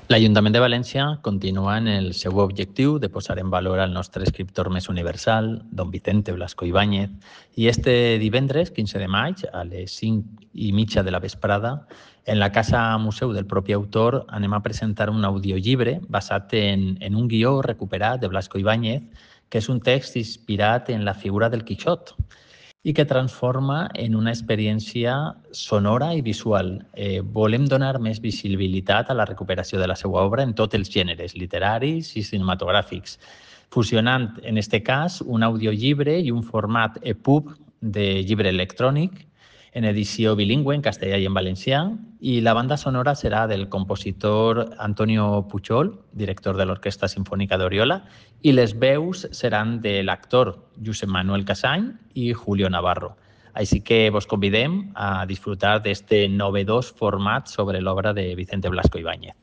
L'Ajuntament de València continua en el seu objectiu de posar en valor el nostre escriptor més universal, don Vicente Blasco Ibáñez, i este divendres, 15 de maig, a les 5:30 de la vesprada, en la Casa Museu del propi autor, anem a presentar un audiollibre basat en un guió recuperat de Blasco Ibáñez, que és un text inspirat en la figura del Quixot, i que transforma en una experiència sonora i visual. Volem donar més visibilitat a la recuperació de la seva obra en tots els gèneres literaris i cinematogràfics, fusionant, en aquest cas, un audiollibre i un format EPUB de llibre electrònic en edició bilingüe, en castellà i en valencià, i la banda sonora serà del compositor Antonio Puchol, director de l'Orquestra Simfònica d'Oriola, i les veus seran de l'actor Josep Manuel Casany i Julio Navarro. Així que vos convidem a disfrutar d'este novedós format sobre l'obra de Vicente Blasco Ibáñez.